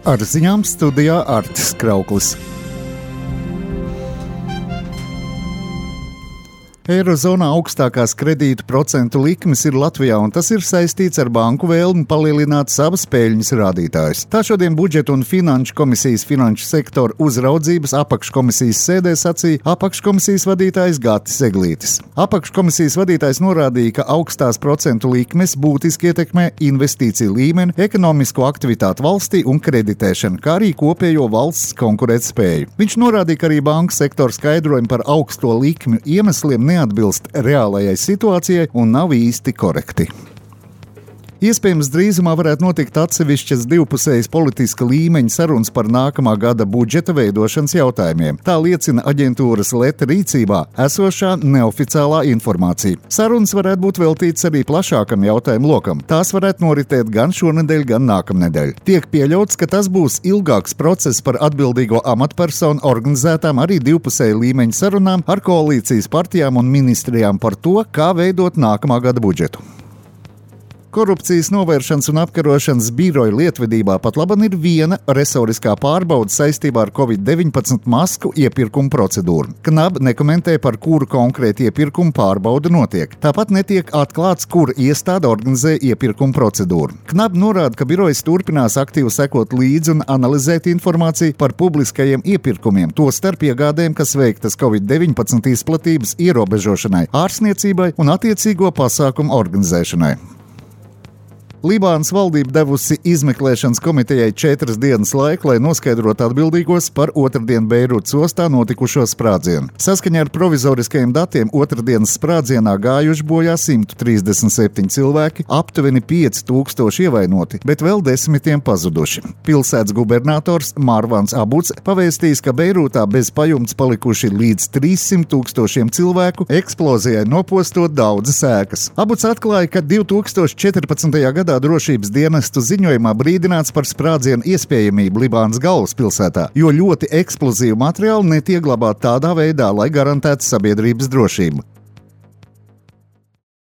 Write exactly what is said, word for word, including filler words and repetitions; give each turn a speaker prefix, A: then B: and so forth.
A: Ar ziņām studijā Artis Krauklis. Eirozonā augstākās kredītu procentu likmes ir Latvijā, un tas ir saistīts ar banku vēlmi palielināt savas peļņas rādītājus. Tā šodien Budžeta un Finanšu komisijas finanšu sektora uzraudzības apakškomisijas sēdē sacīja apakškomisijas vadītājs Gatis Eglītis. Apakškomisijas vadītājs norādīja, ka augstās procentu likmes būtiski ietekmē investīciju līmeni, ekonomisko aktivitāti valstī un kreditēšanu, kā arī kopējo valsts konkurētspēju. Viņš norādīja, ka arī banku sektora skaidrojumi par augsto likmju iemesliem neatbilst reālajai situācijai un nav īsti korekti. Iespējams, drīzumā varētu notikt atsevišķas divpusējas politiska līmeņa sarunas par nākamā gada budžeta veidošanas jautājumiem. Tā liecina aģentūras Leta rīcībā esošā neoficiālā informācija. Sarunas varētu būt veltītas arī plašākam jautājumu lokam. Tās varētu noritēt gan šonedēļ, gan nākamnedēļ. Tiek pieļauts, ka tas būs ilgāks process par atbildīgo amatpersonu organizētām arī divpusēja līmeņa sarunām ar koalīcijas partijām un ministrijām par to, kā veidot nākamā gada budžetu. Korupcijas novēršanas un apkarošanas biroja lietvedībā pat laban ir viena resoriskā pārbaude saistībā ar covid deviņpadsmit masku iepirkumu procedūru. KNAB nekomentē, par kuru konkrēti iepirkumu pārbaude notiek. Tāpat netiek atklāts, kura iestāde organizē iepirkumu procedūru. KNAB norāda, ka birojas turpinās aktīvi sekot līdzi un analizēt informāciju par publiskajiem iepirkumiem, tostarp iegādēm, kas veiktas covid deviņpadsmit izplatības ierobežošanai, ārstniecībai un attiecīgo pasākumu organizēšanai. Libānas valdība devusi izmeklēšanas komitejai četras dienas laiku, lai noskaidrotu atbildīgos par otrdien Beirūtas ostā notikušo sprādzienu. Saskaņā ar provizoriskajiem datiem otrdienas sprādzienā gājuši bojā simt trīsdesmit septiņi cilvēki, aptuveni pieci tūkstoši ievainoti, bet vēl desmitiem pazuduši. Pilsētas gubernators Marvans Abuds pavēstījis, ka Beirūtā bez pajumtes palikuši līdz trīssimt tūkstošiem cilvēku, eksplozijai nopostot daudzas ēkas. Abuds atklāja, ka divi tūkstoši četrpadsmitajā gadā drošības dienestu ziņojumā brīdināts par sprādzienu iespējamību Libānas galvaspilsētā, jo ļoti eksplozīvu materiālu netiek glabāt tādā veidā, lai garantētu sabiedrības drošību.